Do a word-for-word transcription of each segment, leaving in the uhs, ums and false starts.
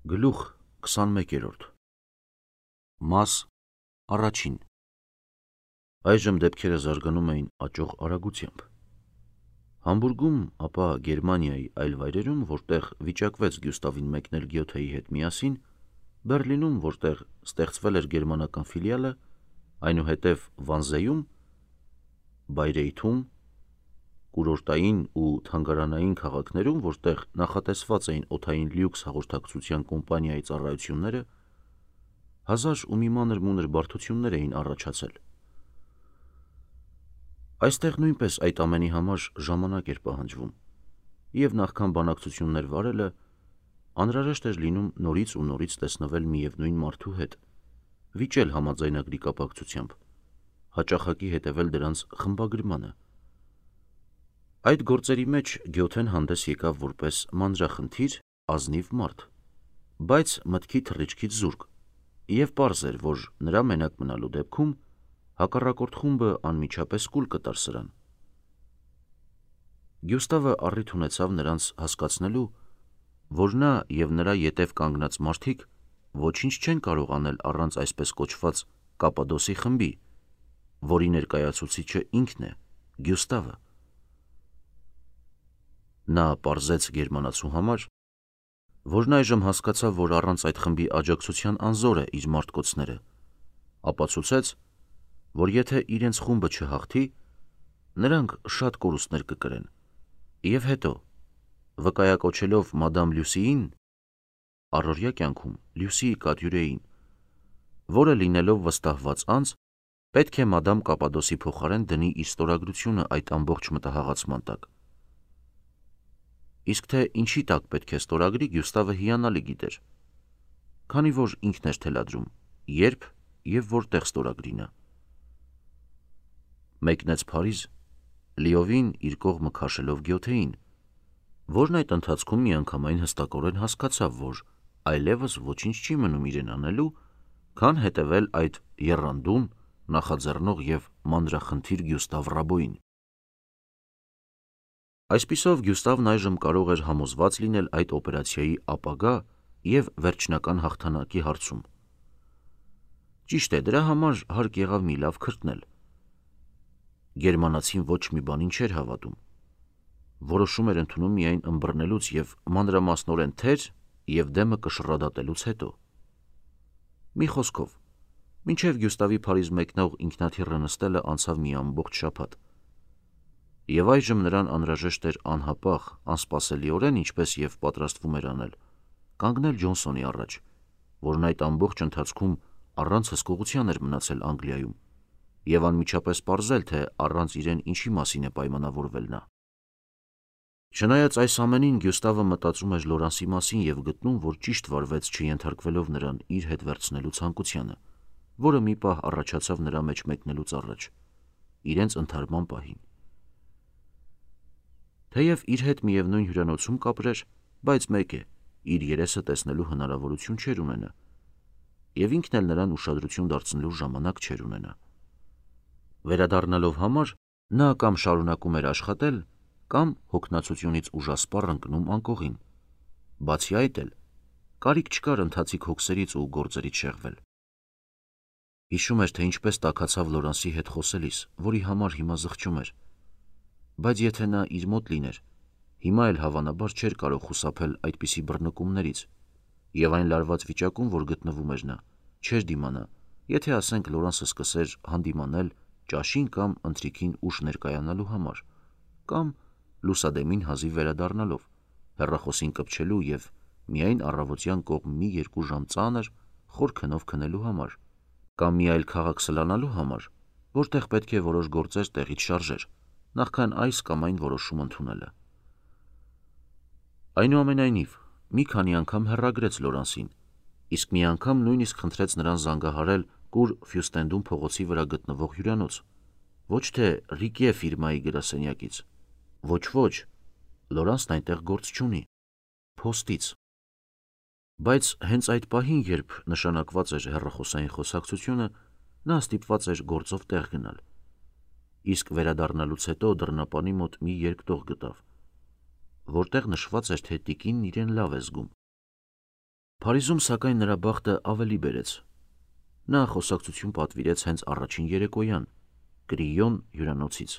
Գլուխ քսանմեկերորդ Մաս առաջին Այժմ դեպքերը զարգանում էին աճող արագությամբ։ Համբուրգում, ապա Գերմանիայի այլ վայրերում, որտեղ վիճակվեց Գյուստավին մեկնել Գյոթեի հետ միասին, Բեռլինում, որտեղ ստեղծվել էր գերմանական ֆիլիալը, այնուհետև Վանզեում, Բայրեյթում, կուրորտային ու թանգարանային քաղաքներում, որտեղ նախատեսված էին օդային լյուքս հաղորդակցության կոմպանիայի ծառայությունները, հազար ու մի մանր-մունր բարդություններ էին առաջացել։ Այստեղ նույնպես այդ ամենի համար ժամանակ էր պահանջվում, և նախքան բանակցություններ վարելը, անհրաժեշտ էր լինում նորից ու նորից տեսնվել միևնույն մարդու հետ, վիճել համաձայնագրի կապակցությամբ, հաճախակի հետևել դրանց խմբագրմանը։ Այդ գործերի մեջ Գյոթեն հանդես եկավ որպես մանրախնդիր, ազնիվ մարդ, բայց մտքի թռիչքից զուրկ, և պարզ էր, որ նրա մենակ մնալու դեպքում հակառակորդ խումբը անմիջապես կուլ կտար սրան։ Գյուստավը առիթ ունեցավ նրանց հասկացնելու, որ նա և նրա ետև կանգնած մարդիկ ոչինչ չեն կարող անել առանց այսպես կոչված Կապադոսի խմբի, որի ներկայացուցիչը ինքն է՝ Գյուստավը։ Նա պարզեց գերմանացու համար, որն այժմ հասկացավ, որ առանց այդ խմբի աջակցության անզոր է իր մարտկոցները, ապացուցեց, որ եթե իրենց խումբը չհաղթի, նրանք շատ կորուստներ կկրեն, և հետո, վկայակոչելով մադամ Լյուսիին (առօրյա կյանքում Լյուսիի կատյուրեին), որը լինելով վստահված անձ, պետք է մադամ Կապադոսի փոխարեն դնի իր ստորագրությունը այդ ամբողջ մտահղացման տակ։ Իսկ թե ինչի տակ պետք է ստորագրի, Գյուստավը հիանալի գիտեր, քանի որ ինքն էր թելադրում, երբ և որտեղ ստորագրի նա։ Մեկնեց Փարիզ, լիովին իր կողմը քաշելով Գյոթեին, որն այդ ընթացքում միանգամայն հստակորեն հասկացավ, որ այլևս ոչինչ չի մնում իրեն անելու, քան հետևել այդ եռանդուն, նախաձեռնող և մանրախնդիր Գյուստավ Ռաբոյին։ Այսպիսով Գյուստավն այժմ կարող էր համոզված լինել այդ օպերացիայի ապագա և վերջնական հաղթանակի հարցում։ Ճիշտ է, դրա համար հարկ եղավ մի լավ քրտնել։ Գերմանացին ոչ մի բանին չէր հավատում, որոշում էր ընդունում միայն ըմբռնելուց և մանրամասնորեն թեր և դեմը կշռադատելուց հետո։ Մի խոսքով, մինչև Գյուստավի Փարիզ մեկնող ինքնաթիռը նստելը անցավ մի ամբողջ շաբաթ, և այժմ նրան անհրաժեշտ էր անհապաղ, անսպասելիորեն, ինչպես և պատրաստվում էր անել, կանգնել Ջոնսոնի առաջ, որն այդ ամբողջ ընթացքում առանց հսկողության էր մնացել Անգլիայում, և անմիջապես պարզել, թե առանց իրեն ինչի մասին է պայմանավորվել նա։ Չնայած այս ամենին, Գյուստավը մտածում էր Լորանսի մասին և գտնում, որ ճիշտ վարվեց չենթարկվելով նրան իր հետ վերցնելու ցանկությանը, որը մի պահ առաջացավ նրա մեջ մեկնելուց առաջ, իրենց ընդհարման պահին։ Թեև իր հետ միևնույն հյուրանոցում կապրեր, բայց մեկ է, իր երեսը տեսնելու հնարավորություն չէր ունենա, և ինքն էլ նրան ուշադրություն դարձնելու ժամանակ չէր ունենա։ Վերադառնալով համար, նա կամ շարունակում էր աշխատել, կամ հոգնածությունից ուժասպառ ընկնում անկողին, բացի այդ էլ կարիք չկար ընթացիկ հոգսերից ու գործերից շեղվել։ Հիշում էր, թե ինչպես տաքացավ Լորանսի հետ խոսելիս, որի համար հիմա զղջում էր, բայց եթե նա իր մոտ լիներ, հիմա էլ հավանաբար չէր կարող խուսափել այդպիսի բռնկումներից, և այն լարված վիճակում, որ գտնվում էր նա, չէր դիմանա, եթե, ասենք, Լորանսը սկսեր հանդիմանել ճաշին կամ ընթրիքին ուշ ներկայանալու համար, կամ լուսադեմին հազիվ վերադառնալով, հեռախոսին կպչելու և միայն առավոտյան կողմ մի երկու ժամ ծանր, խոր քնով քնելու համար, կամ մի այլ քաղաք սլանալու համար, որտեղ պետք է որոշ գործեր տեղից շարժեր, նախքան այս կամ այն որոշում ընդունելը։ Այնուամենայնիվ, մի քանի անգամ հեռագրեց Լորանսին, իսկ մի անգամ նույնիսկ խնդրեց նրան զանգահարել Կուրֆյուրստենդում փողոցի վրա գտնվող հյուրանոց, ոչ թե Ռիկե ֆիրմայի գրասենյակից, ոչ-ոչ, Լորանսն այնտեղ գործ չունի, փոստից։ Բայց հենց այդ պահին, երբ նշանակված էր հեռախոսային խոսակցությունը, նա ստիպված էր գործով տեղ գնալ, իսկ վերադառնալուց հետո դռնապանի մոտ մի երկտող գտավ, որտեղ նշված էր, թե տիկինն իրեն լավ է զգում։ Փարիզում սակայն նրա բախտը ավելի բերեց։ Նա խոսակցություն պատվիրեց հենց առաջին երեկոյան, Կրիոն հյուրանոցից,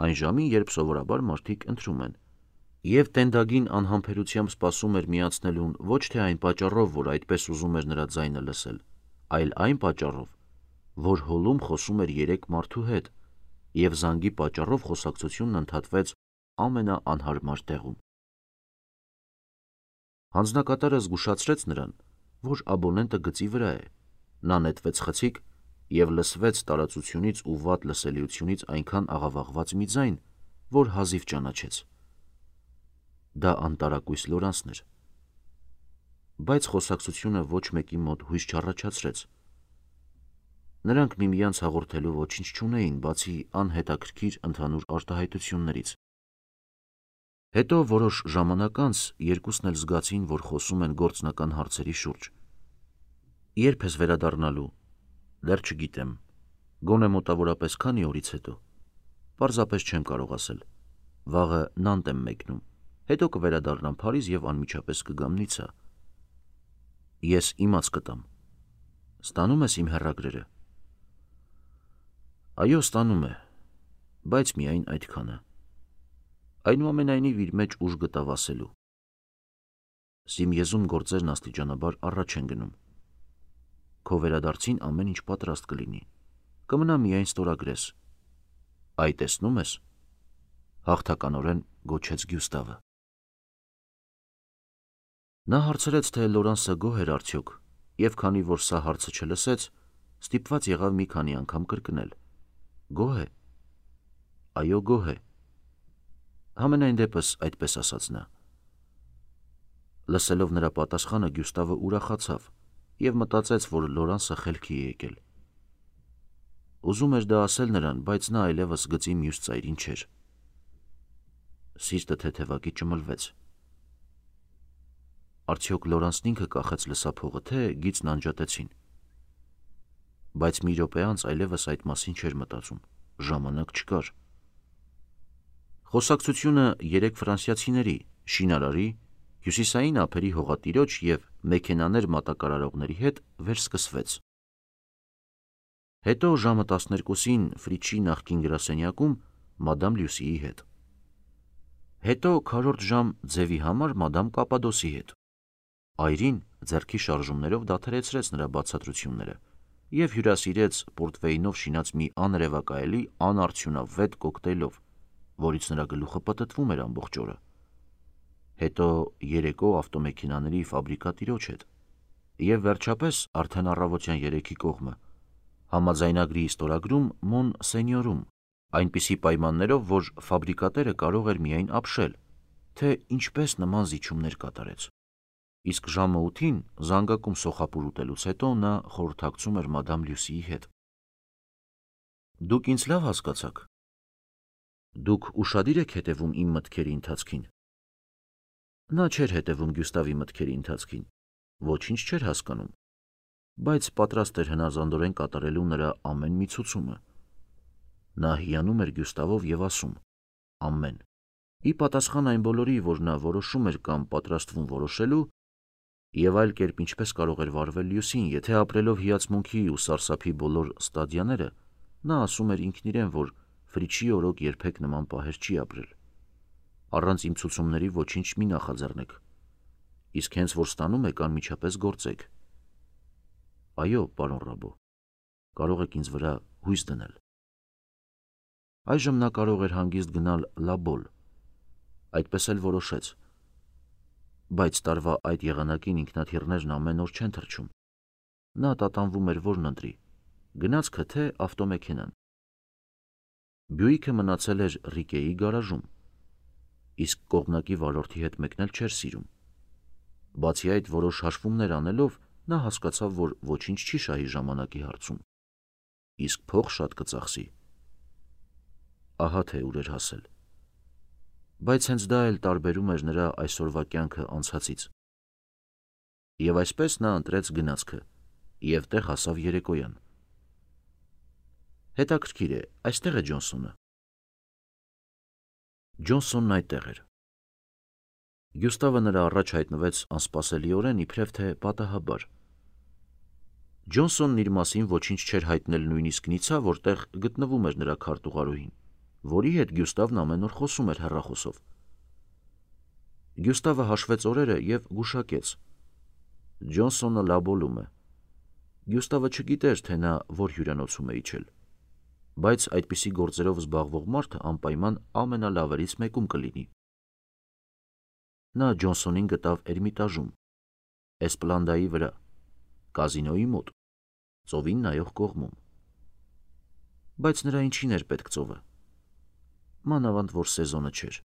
այն ժամին, երբ սովորաբար մարդիկ ընթրում են, և տենդագին անհամբերությամբ սպասում էր միացնելուն ոչ թե այն պատճառով, որ այդպես ուզում էր նրա ձայնը լսել, այլ այն պատճառով, որ հոլում խոսում էր երեք մարդու հետ, և զանգի պատճառով խոսակցությունն ընդհատվեց ամենաանհարմար տեղում։ Հանձնակատարը զգուշացրեց նրան, որ աբոնենտը գծի վրա է, նա նետվեց խցիկ և լսվեց տարածությունից ու վատ լսելիությունից այնքան աղավաղված մի ձայն, որ հազիվ ճանաչեց։ Դա անտարակույս Լորանսն էր։ Բայց խոսակցությունը ոչ մեկի մոտ հույս չառաջացրեց։ Նրանք միմյանց հաղորդելու ոչինչ չունեին, բացի անհետաքրքիր ընդհանուր արտահայտություններից։ Հետո որոշ ժամանակ անց երկուսն էլ զգացին, որ խոսում են գործնական հարցերի շուրջ։ Ե՞րբ ես վերադառնալու։ Դեռ չգիտեմ։ Գոնե մոտավորապես քանի օրից հետո։ Պարզապես չեմ կարող ասել։ Վաղը Նանտ եմ մեկնում, հետո կվերադառնամ Փարիզ և անմիջապես կգամ Նիցա։ Ես իմաց կտամ։ Ստանում ես իմ հեռագրերը։ Այո, ստանում է, բայց միայն այդքանը։ Այնուամենայնիվ իր մեջ ուժ գտավ ասելու. Սիմիեզում գործերն աստիճանաբար առաջ են գնում։ Քո վերադարձին ամեն ինչ պատրաստ կլինի, կմնա միայն ստորագրես։ Այ տեսնում ես, հաղթականորեն գոչեց Գյուստավը։ Նա հարցրեց, թե Լորանսը գոհ էր արդյոք, և քանի որ սա հարցը չլսեց, ստիպված եղավ մի քանի անգամ կրկնել. Գոհ է։ Այո, գոհ է։ Համենայն դեպս այդպես ասաց նա։ Լսելով նրա պատասխանը Գյուստավը ուրախացավ և մտածեց, որ Լորանսը խելքի է եկել։ Ուզում էր դա ասել նրան, բայց նա այլևս գծի մյուս ծայրին չէր։ Սիրտը թեթևակի ճմլվեց։ Արդյոք Լորանսն ինքը կախեց լսափողը, թե գիծն անջատեցին։ Բայց մի րոպե անց այլևս այդ մասին չէր մտածում, ժամանակ չկար։ Խոսակցությունը երեք ֆրանսիացիների, շինարարի, հյուսիսային ափերի հողատիրոջ և մեքենաներ մատակարարողների հետ վերսկսվեց։ Հետո ժամը տասներկուսին Ֆրիչի նախկին գրասենյակում մադամ Լյուսիի հետ։ Հետո քառորդ ժամ ձևի համար մադամ Կապադոսի հետ։ Այրին ձեռքի շարժումներով դադարեցրեց նրա բացատրությունները և հյուրասիրեց պորտվեյնով շինած մի աներևակայելի անարդյունավետ կոկտեյլով, որից նրա գլուխը պտտվում էր ամբողջ օրը։ Հետո երեկո ավտոմեքենաների ֆաբրիկա տիրոջ հետ։ Եվ վերջապես արդեն առավոտյան երեքի կողմը համաձայնագրի ստորագրում Մոն Սենյորում, այնպիսի պայմաններով, որ ֆաբրիկատերը կարող էր միայն ապշել, թե ինչպես նման զիջումներ կատարեց։ Իսկ ժամը ութին զանգակում սոխապուր ուտելուց հետո նա խորհրդակցում էր մադամ Լյուսիի հետ։ Դուք ինձ լավ հասկացաք։ Դուք ուշադիր եք հետևում իմ մտքերի ընթացքին։ Նա չէր հետևում Գյուստավի մտքերի ընթացքին, ոչինչ չէր հասկանում, բայց պատրաստ էր հնազանդորեն կատարելու նրա ամեն մի ցուցումը։ Նա հիանում էր Գյուստավով և ասում. ամեն։ Ի պատասխան այն բոլորի, որ նա որոշում էր կամ պատրաստվում որոշելու, և այլ կերպ ինչպես կարող էր վարվել Լյուսին, եթե ապրելով հիացմունքի ու սարսափի բոլոր ստադիաները, նա ասում էր ինքն իրեն, որ Ֆրիչի օրոք երբեք նման պահեր չի ապրել։ Առանց իմ ցուցումների ոչինչ մի նախաձեռնեք, իսկ հենց որ ստանում եք, անմիջապես գործեք։ Այո, պարոն Ռաբո, կարող եք ինձ վրա հույս դնել։ Այժմ նա կարող էր հանգիստ գնալ Լաբոլ, այդպես էլ որոշեց։ Բայց տարվա այդ եղանակին ինքնաթիռներն ամեն օր չեն թռչում։ Նա տատանվում էր որն ընտրի՝ գնացքը թե ավտոմեքենան։ Բյուիկը մնացել էր Ռիկեի գարաժում, իսկ կողմնակի վարորդի հետ մեկնել չէր սիրում։ Բացի այդ, որոշ հաշվումներ անելով, նա հասկացավ, որ ոչինչ չի շահի ժամանակի հարցում, իսկ փող շատ կծախսի։ Ահա թե ուր էր հասել։ Բայց հենց դա էլ տարբերում էր նրա այսօրվա կյանքը անցածից։ Եվ այսպես նա ընտրեց գնացքը և տեղ հասավ երեկոյան։ Հետաքրքիր է, այստեղ է Ջոնսոնը։ Ջոնսոնն այդտեղ էր։ Գյուստավը նրա առաջ հայտնվեց անսպասելիորեն իբրև թե պատահաբար։ Ջոնսոնն իր մասին ոչինչ չէր հայտնել նույնիսկ նիցա, որտեղ գտնվում էր նրա քարտուղարուհին, որի հետ Գյուստավն ամեն օր խոսում էր հեռախոսով։ Գյուստավը հաշվեց օրերը և գուշակեց. Ջոնսոնը լաբոլում է։ Գյուստավը չգիտեր, թե նա որ հյուրանոցում է իջել, բայց այդպիսի գործերով զբաղվող մարդը անպայման ամենալավերից մեկում կլինի։ Նա Ջոնսոնին գտավ Էրմիտաժում, Էսպլանդայի վրա, կազինոյի մոտ, ծովին նայող կողմում։ Բայց նրա ինչին էր պետք ծովը։ Մանավանդ որ սեզոնը չէր։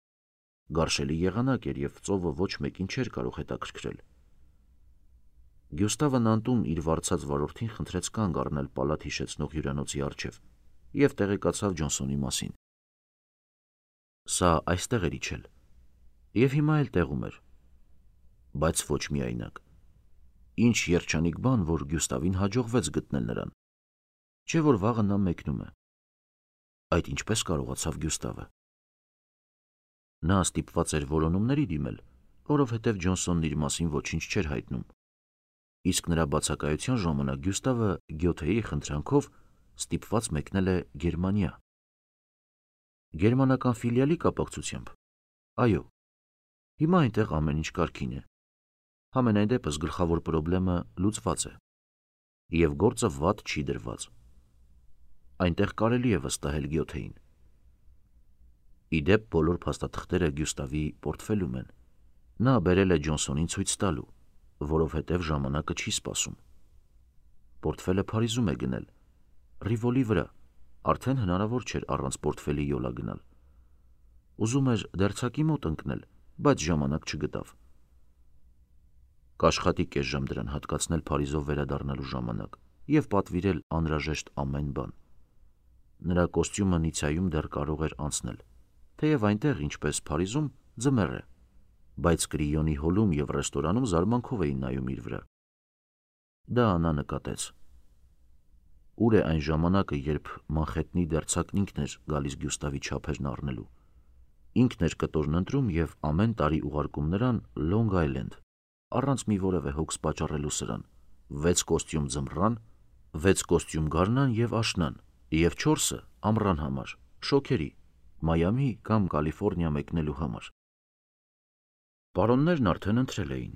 Գարշելի եղանակ էր և ծովը ոչ մեկին չէր կարող հետաքրքրել։ Գյուստավն անտուն իր վարձած վարորդին խնդրեց կանգ առնել պալատ հիշեցնող հյուրանոցի առջև և տեղեկացավ Ջոնսոնի մասին։ Սա այստեղ էր իջել և հիմա էլ տեղում էր, բայց ոչ միայնակ։ Ինչ երջանիկ բան, որ Գյուստավին հաջողվեց գտնել նրան, չէ որ վաղը նա մեկնում է։ Այդ ինչպես կարողացավ Գյուստավը։ Նա ստիպված էր որոնումների դիմել, որովհետև Ջոնսոնն իր մասին ոչինչ չէր հայտնում։ Իսկ նրա բացակայության ժամանակ Գյուստավը Գյոթեի խնդրանքով ստիպված մեկնել է Գերմանիա։ Գերմանական ֆիլիալի կապակցությամբ։ Այո, հիմա այնտեղ ամեն ինչ կարգին է։ Համենայն դեպս գլխավոր պրոբլեմը լուծված է։ Եվ գործը վատ չի դրված։ Այնտեղ կարելի է վստահել Գյոթեին։ Իդեպ բոլոր փաստաթղթերը Գյուստավի պորտֆելում են։ Նա բերել է Ջոնսոնին ցույց տալու, որովհետև ժամանակը չի սպասում։ Պորտֆելը Փարիզում է գնել, Ռիվոլի վրա, արդեն հնարավոր չէր առանց պորտֆելի յոլա գնալ։ Ուզում էր դերձակի մոտ ընկնել, բայց ժամանակ չգտավ։ Կաշխատի կես ժամ դրան հատկացնել Փարիզով վերադառնալու ժամանակ և պատվիրել անհրաժեշտ ամեն բան։ Նրա կոստյումը Նիցայում դեռ կարող էր անցնել, թեև այնտեղ, ինչպես Փարիզում, ձմեռ է, բայց Կրիոնի հոլում և ռեստորանում զարմանքով էին նայում իր վրա։ Դա Աննա նկատեց։ Ուր է այն ժամանակը, երբ Մանխեթնի դերձակն ինքն էր գալիս Գյուստավի չափերն առնելու։ Ինքն էր կտորն ընտրում և ամեն տարի ուղարկում նրան Լոնգ Այլենդ, առանց մի որևէ հոգս պատճառելու սրան, վեց կոստյում ձմռան, վեց կոստյում գարնան և աշնան, և չորսը ամռան համար, շոգերի, Մայամի կամ Կալիֆոռնիա մեկնելու համար։ Պարոններն արդեն ընտրել էին։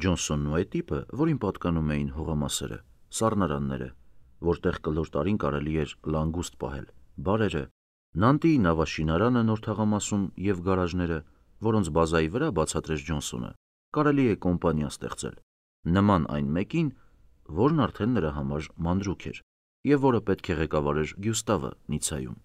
Ջոնսոնն ու այդ տիպը, որին պատկանում էին հողամասերը, սառնարանները, որտեղ կլոր տարին կարելի էր լանգուստ պահել, բարերը, Նանտի նավաշինարանը նոր թաղամասում և գարաժները, որոնց բազայի վրա բացատրեց Ջոնսոնը, կարելի է կոմպանիա ստեղծել, նման այն մեկին, որն արդեն նրա համար մանրուք էր, և որը պետք է ղեկավարեր Գյուստավը Նիցայում։